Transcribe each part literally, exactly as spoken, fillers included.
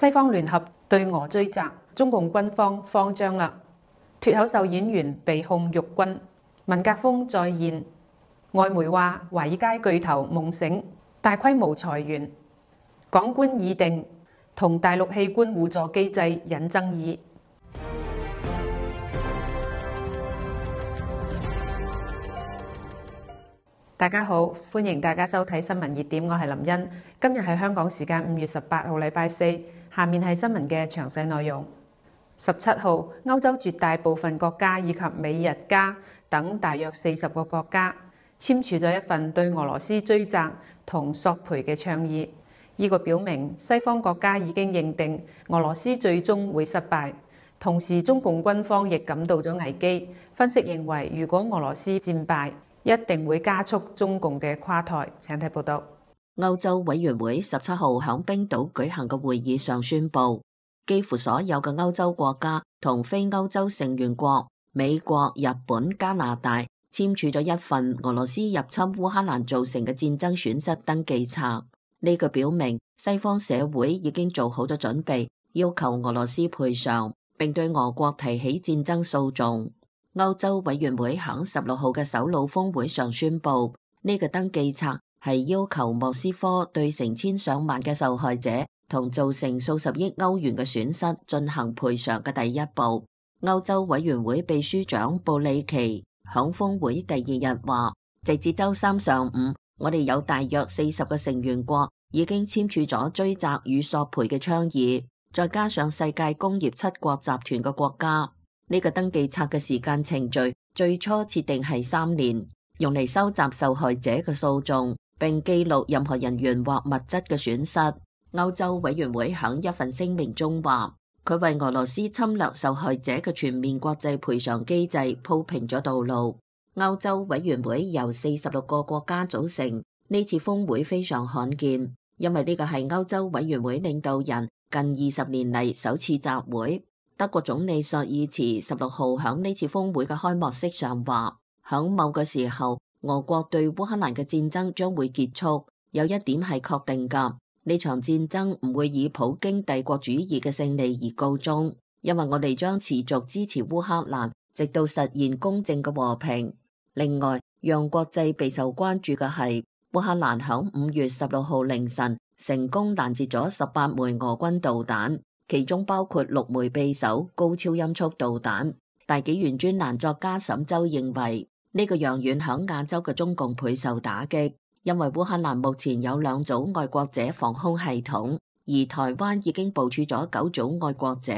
西方聯合對俄追責，中共軍方慌張啦。脫口秀演員被控辱軍，文革風再現。外媒話華爾街巨頭夢醒，大規模裁員。港官議定同大陸器官互助機制引爭議。大家好，歡迎大家收睇新聞熱點，我係林茵。今日係香港時間五月十八號，禮拜四。下面係新聞嘅詳細內容。十七號，歐洲絕大部分國家以及美日加等大約四十個國家簽署咗一份對俄羅斯追責同索賠嘅倡議。呢個表明西方國家已經認定俄羅斯最終會失敗，同時中共軍方亦感到咗危機。分析認為，如果俄羅斯戰敗，一定會加速中共嘅垮台。請睇報道。歐洲委員會十七號響冰島舉行嘅會議上宣布，幾乎所有嘅歐洲國家同非歐洲成員國美國、日本、加拿大簽署咗一份俄羅斯入侵烏克蘭造成嘅戰爭損失登記冊。呢個表明西方社會已經做好咗準備，要求俄羅斯賠償，並對俄國提起戰爭訴訟。歐洲委員會響十六號嘅首腦峰會上宣布，呢個登記冊係要求莫斯科對成千上萬嘅受害者同造成數十億歐元嘅損失進行賠償嘅第一步。歐洲委員會秘書長布里奇響峰會第二日話，直至周三上午，我哋有大約四十個成員國已經簽署咗追責與索賠嘅倡議，再加上世界工業七國集團嘅國家。呢個登記冊嘅時間程序最初設定係三年，用嚟收集受害者嘅訴訟，並記錄任何人員或物質嘅損失。歐洲委員會喺一份聲明中話，佢為俄羅斯侵略受害者嘅全面國際賠償機制鋪平咗道路。歐洲委員會由四十六個國家組成，呢次峰會非常罕見，因為呢個係歐洲委員會領導人近二十年嚟首次集會。德國總理朔爾茨十六號響呢次峰會嘅開幕式上話，響某個時候，俄國對烏克蘭嘅戰爭將會結束。有一點係確定㗎，呢場戰爭唔會以普京帝國主義嘅勝利而告終，因為我哋將持續支持烏克蘭，直到實現公正嘅和平。另外，讓國際備受關注嘅係，烏克蘭響五月十六號凌晨成功攔截咗十八枚俄軍導彈。其中包括六枚匕首高超音速導彈。大紀元專欄作家沈周認為，呢個揚遠響亞洲嘅中共倍受打擊，因為烏克蘭目前有兩組愛國者防空系統，而台灣已經部署咗九組愛國者，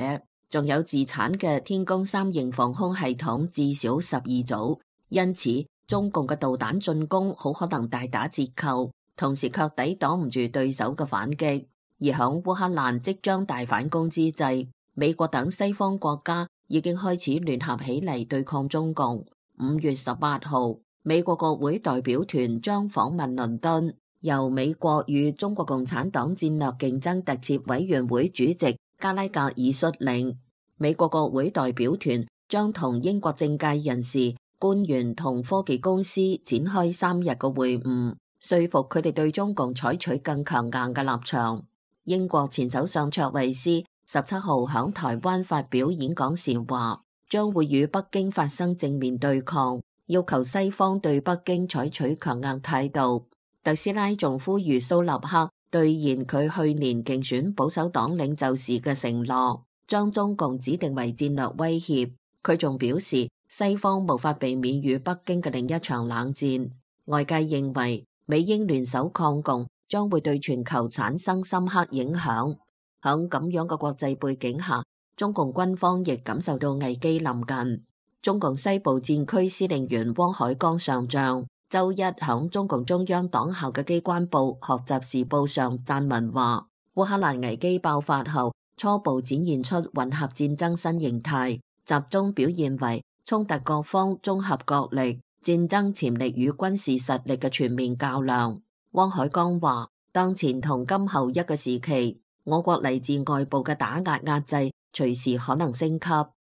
仲有自產嘅天宮三型防空系統至少十二組。因此，中共嘅導彈進攻好可能大打折扣，同時卻抵擋唔住對手嘅反擊。而響烏克蘭即將大反攻之際，美國等西方國家已經開始聯合起嚟對抗中共。五月十八號，美國國會代表團將訪問倫敦，由美國與中國共產黨戰略競爭特設委員會主席加拉格爾率領。美國國會代表團將同英國政界人士、官員同科技公司展開三日嘅會晤，說服佢哋對中共採取更強硬嘅立場。英國前首相卓慧思十七號響台灣發表演講時話，將會與北京發生正面對抗，要求西方對北京採取強硬態度。特斯拉仲呼籲蘇納克兌現佢去年競選保守黨領袖時嘅承諾，將中共指定為戰略威脅。佢仲表示，西方無法避免與北京嘅另一場冷戰。外界認為美英聯手抗共將會對全球產生深刻影響。響咁樣嘅國際背景下，中共軍方亦感受到危機臨近。中共西部戰區司令員汪海江上將周一響中共中央黨校嘅機關報《學習時報》上撰文話，烏克蘭危機爆發後，初步展現出混合戰爭新形態，集中表現為衝突各方綜合國力、戰爭潛力與軍事實力嘅全面較量。汪海江話，當前同今後一個時期，我國嚟自外部嘅打壓壓制隨時可能升級。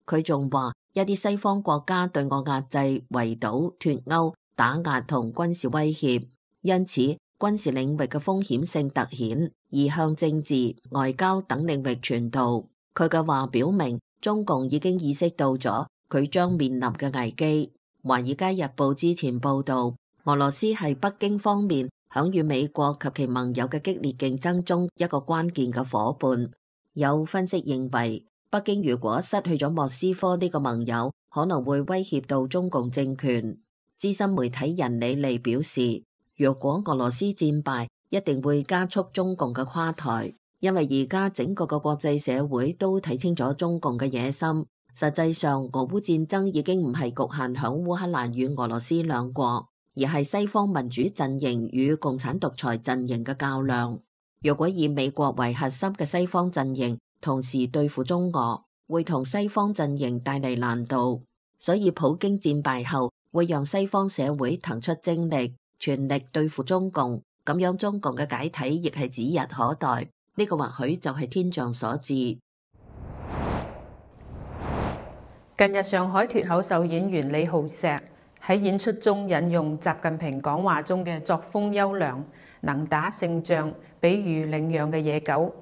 佢仲話，一啲西方國家對我壓制、圍堵、脫歐、打壓同軍事威脅，因此軍事領域嘅風險性突顯。而向政治、外交等領域傳導。佢嘅話表明，中共已經意識到咗佢將面臨嘅危機。《華爾街日報》之前報導，俄羅斯係北京方面響與美國及其盟友嘅激烈競爭中一個關鍵嘅夥伴。有分析認為，北京如果失去咗莫斯科呢個盟友，可能會威脅到中共政權。資深媒體人李利表示，若果俄羅斯戰敗，一定會加速中共嘅垮台，因為而家整個嘅國際社會都睇清楚中共嘅野心。實際上，俄烏戰爭已經唔係局限響烏克蘭與俄羅斯兩國，而係西方民主陣營與共產獨裁陣營嘅較量。若果以美國為核心嘅西方陣營同時對付中俄，會同西方陣營帶嚟難度。所以普京戰敗後，會讓西方社會騰出精力，全力對付中共。咁樣中共嘅解體亦係指日可待，呢個或許就係天象所致。近日上海脫口秀演員李浩石喺演出中引用習近平講話中嘅作風優良、能打勝仗，比喻領養嘅野狗，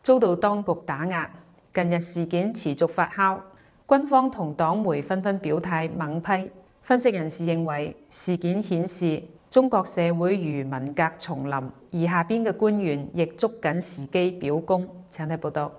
遭到當局打壓。近日事件持續發酵，軍方同黨媒紛紛表態猛批。分析人士認為，事件顯示中國社會如文革重臨，而下邊嘅官員亦捉緊時機表功。請睇報道。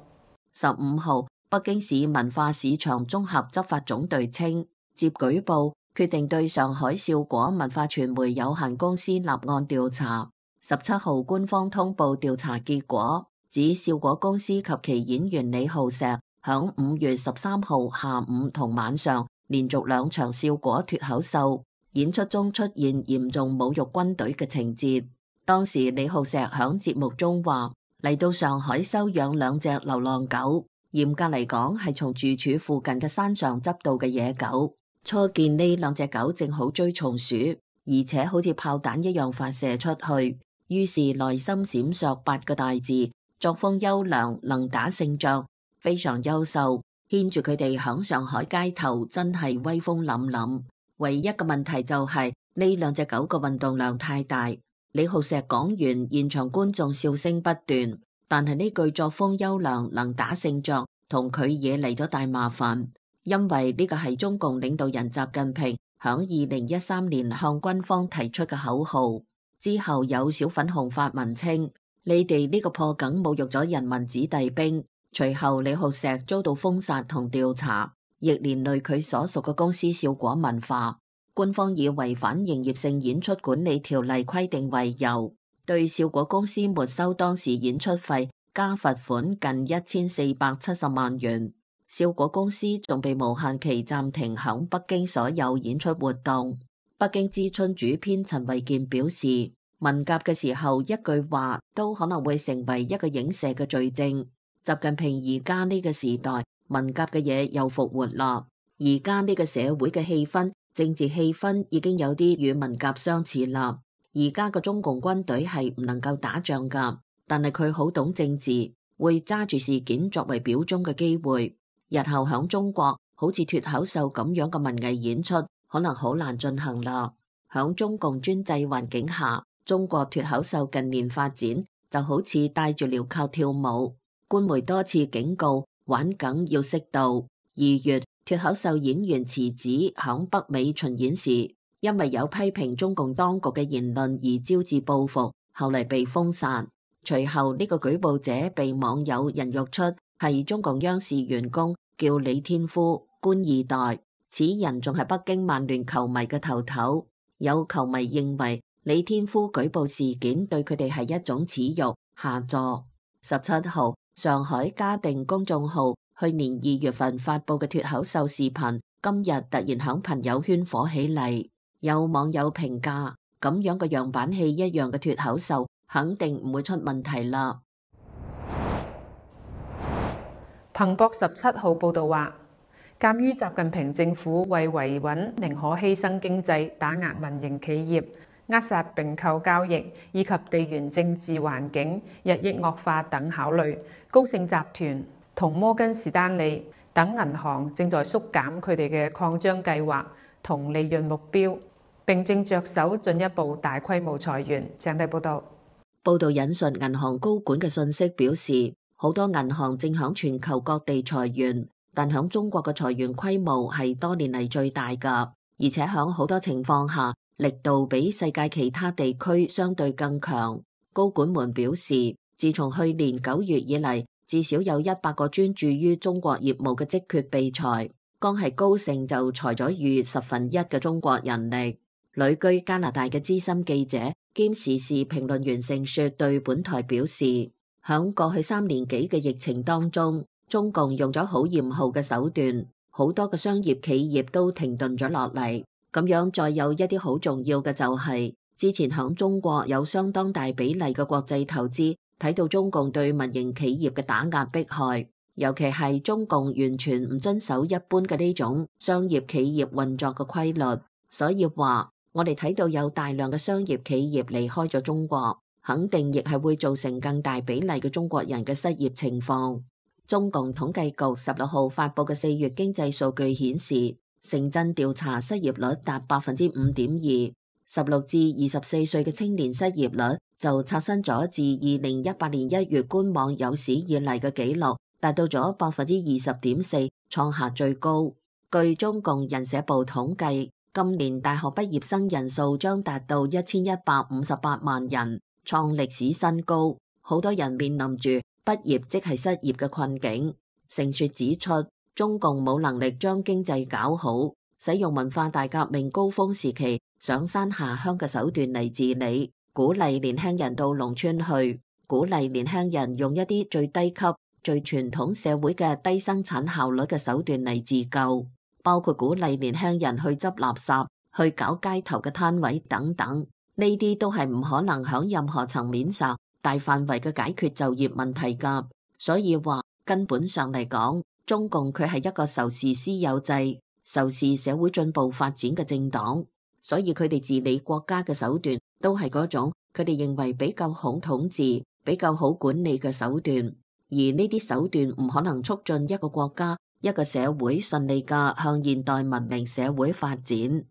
十五號，北京市文化市場綜合執法總隊稱，接舉報決定對上海笑果文化傳媒有限公司立案調查。十七號官方通報調查結果，指笑果公司及其演員李浩石響五月十三號下午同晚上連續兩場笑果脫口秀演出中出現嚴重侮辱軍隊嘅情節。當時李浩石響節目中話，嚟到上海收養兩隻流浪狗，嚴格嚟講係從住處附近嘅山上執到嘅野狗。初見呢兩隻狗正好追松鼠，而且好似炮彈一樣發射出去，於是內心閃爍八個大字：作風優良，能打勝仗，非常優秀。牽住佢哋響上海街頭真係威風凜凜。唯一嘅問題就係呢兩隻狗嘅運動量太大。李浩石講完，現場觀眾笑聲不斷。但係呢句作風優良，能打勝仗，同佢惹嚟咗大麻煩，因為呢個係中共領導人習近平響二零一三年向軍方提出嘅口號。之後有小粉紅發文稱，你哋呢個破梗侮辱咗人民子弟兵。隨後李浩石遭到封殺同調查，亦連累佢所屬嘅公司笑果文化。官方以違反營業性演出管理條例規定為由，對笑果公司沒收當時演出費，加罰款近一千四百七十萬元。笑果公司仲被無限期暫停響北京所有演出活動。北京之春主編陳維健表示，文革嘅時候一句話都可能會成為一個影射嘅罪證。習近平而家呢個時代，文革嘅嘢又復活啦。而家呢個社會嘅氣氛，政治氣氛已經有啲與文革相似啦。而家個中共軍隊係唔能夠打仗噶，但係佢好懂政治，會揸住事件作為表忠嘅機會。日後響中國，好似脫口秀咁樣嘅文藝演出，可能好難進行啦。響中共專制環境下，中國脫口秀近年發展就好似戴住鐐銬跳舞。官媒多次警告，玩梗要適度。二月，脫口秀演員池子響北美巡演時，因為有批評中共當局嘅言論而招致報復，後嚟被封殺。隨後呢個舉報者被網友人肉出，係中共央視員工，叫李天夫，官二代。此人仲係北京曼聯球迷嘅頭頭。有球迷認為李天夫舉報事件對佢哋係一種恥辱，下座。十七號，上海嘉定公眾號去年二月份發佈嘅脫口秀視頻，今日突然響朋友圈火起嚟。有網友評價，咁樣嘅樣板戲一樣嘅脫口秀，肯定唔會出問題啦。彭博十七號報道話，鑑於習近平政府為維穩寧可犧牲經濟、打壓民營企業、扼殺併購交易以及地緣政治環境日益惡化等考慮，高盛集團同摩根士丹利等銀行正在縮減佢哋嘅擴張計劃同利潤目標，並正着手進一步大規模裁員。請睇報道。報道引述銀行高管嘅信息表示，好多銀行正響全球各地裁員，但響中國嘅裁員規模係多年嚟最大㗎，而且響好多情況下，力度比世界其他地區相對更強。高管們表示，自從去年九月以嚟，至少有一百個專注於中國業務嘅職缺被裁，光係高盛就裁咗逾十分一嘅中國人力。旅居加拿大嘅資深記者兼時事評論員盛雪對本台表示，響過去三年幾嘅疫情當中，中共用咗好嚴酷嘅手段，好多嘅商業企業都停頓咗落嚟。咁樣再有一啲好重要嘅就係、是，之前響中國有相當大比例嘅國際投資，睇到中共對民營企業嘅打壓迫害，尤其係中共完全唔遵守一般嘅呢種商業企業運作嘅規律，所以話我哋睇到有大量嘅商業企業離開咗中國，肯定亦係會造成更大比例嘅中國人嘅失業情況。中共統計局十六號發佈嘅四月經濟數據顯示，城鎮調查失業率達百分之五點二，十六至二十四歲嘅青年失業率就刷新咗自二零一八年一月官網有史以嚟嘅紀錄，達到咗百分之二十點四，創下最高。據中共人社部統計，今年大學畢業生人數將達到一千一百五十八萬人，創歷史新高。好多人面臨住畢業即係失業嘅困境。盛雪指出，中共冇能力將經濟搞好，使用文化大革命高峰時期上山下鄉嘅手段嚟治理，鼓勵年輕人到農村去，鼓勵年輕人用一啲最低級、最傳統社會嘅低生產效率嘅手段嚟自救，包括鼓勵年輕人去執垃圾、去搞街頭嘅攤位等等。呢啲都係唔可能響任何層面上大範圍嘅解決就業問題㗎。所以話根本上嚟講，中共佢係一個仇視私有制、仇視社會進步發展嘅政黨，所以佢哋治理國家嘅手段都係嗰種佢哋認為比較好統治、比較好管理嘅手段，而呢啲手段唔可能促進一個國家、一個社會順利嘅向現代文明社會發展。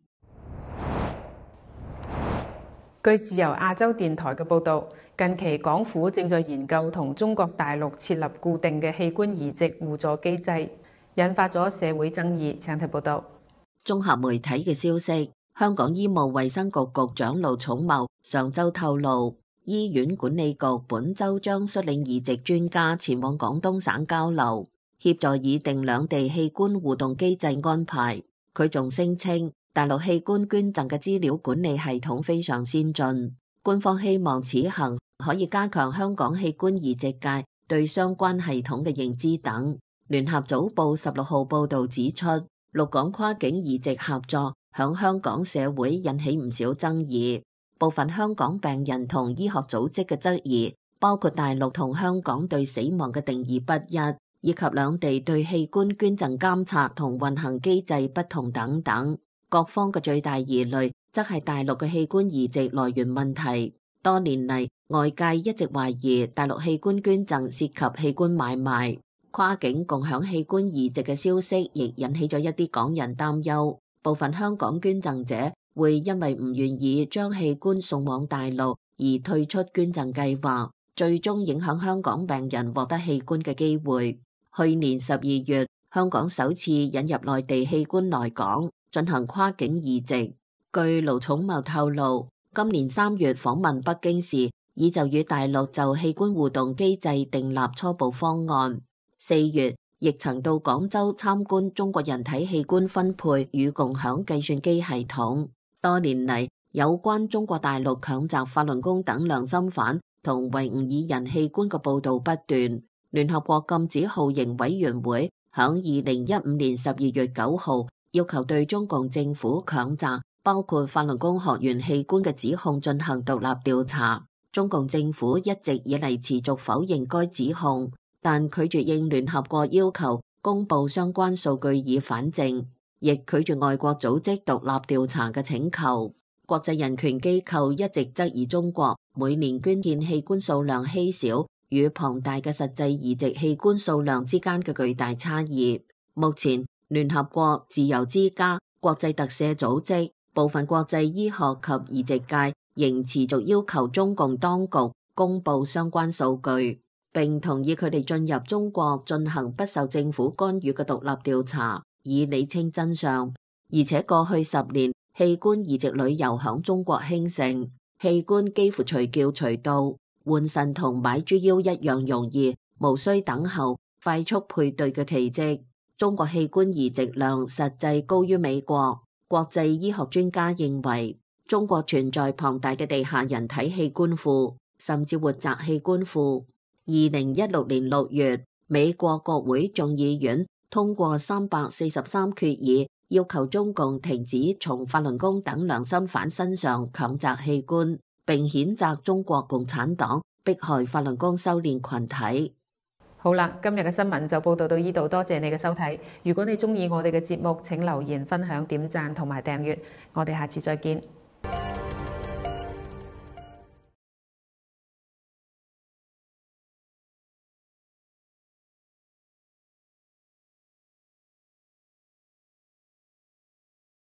據自由亞洲電台嘅報導，近期港府正在研究同中國大陸設立固定嘅器官移植互助機制，引發咗社會爭議。請睇報導。綜合媒體嘅消息，香港醫務衛生局局長盧寵茂上週透露，醫院管理局本週將率領移植專家前往廣東省交流，協助擬定兩地器官互動機制安排。佢仲聲稱，大陸器官捐贈嘅資料管理系統非常先進，官方希望此行可以加強香港器官移植界對相關系統嘅認知等。聯合早報十六號報導指出，陸港跨境移植合作響香港社會引起唔少爭議，部分香港病人同醫學組織嘅質疑，包括大陸同香港對死亡嘅定義不一，以及兩地對器官捐贈監察同運行機制不同等等。各方嘅最大疑慮則係大陸嘅器官移植來源問題。多年嚟，外界一直懷疑大陸器官捐贈涉及器官買賣，跨境共享器官移植嘅消息亦引起咗一啲港人擔憂。部分香港捐贈者會因為唔願意將器官送往大陸而退出捐贈計劃，最終影響香港病人獲得器官嘅機會。去年十二月，香港首次引入內地器官來港進行跨境移植。據盧寵茂透露，今年三月訪問北京時，已就與大陸就器官互動機制訂立初步方案。四月，亦曾到廣州參觀中國人體器官分配與共享計算機系統。多年嚟，有關中國大陸強襲法輪功等良心犯同維吾爾人器官嘅報導不斷。聯合國禁止酷刑委員會響二零一五年十二月九號要求對中共政府強襲包括法輪功學員器官嘅指控進行獨立調查。中共政府一直以嚟持續否認該指控，但拒絕應聯合國要求公布相關數據以反證，亦拒絕外國組織獨立調查嘅請求。國際人權機構一直質疑中國每年捐獻器官數量稀少與龐大嘅實際移植器官數量之間嘅巨大差異。目前，聯合國、自由之家、國際特赦組織、部分國際醫學及移植界仍持續要求中共當局公佈相關數據，並同意佢哋進入中國進行不受政府干預嘅獨立調查，以理清真相。而且過去十年，器官移植旅遊響中國興盛，器官幾乎隨叫隨到，換腎同買豬腰一樣容易，無需等候，快速配對嘅奇蹟。中國器官移植量實際高於美國。國際醫學專家認為，中國存在龐大嘅地下人體器官庫，甚至活摘器官庫。二零一六年六月，美國國會眾議院通過三百四十三決議，要求中共停止從法輪功等良心犯身上強摘器官，並譴責中國共產黨迫害法輪功修煉群體。好啦，今日嘅新聞就報道到呢度，多謝你嘅收睇。如果你鍾意我哋嘅節目，請留言、分享、點讚同埋訂閱。我哋下次再見。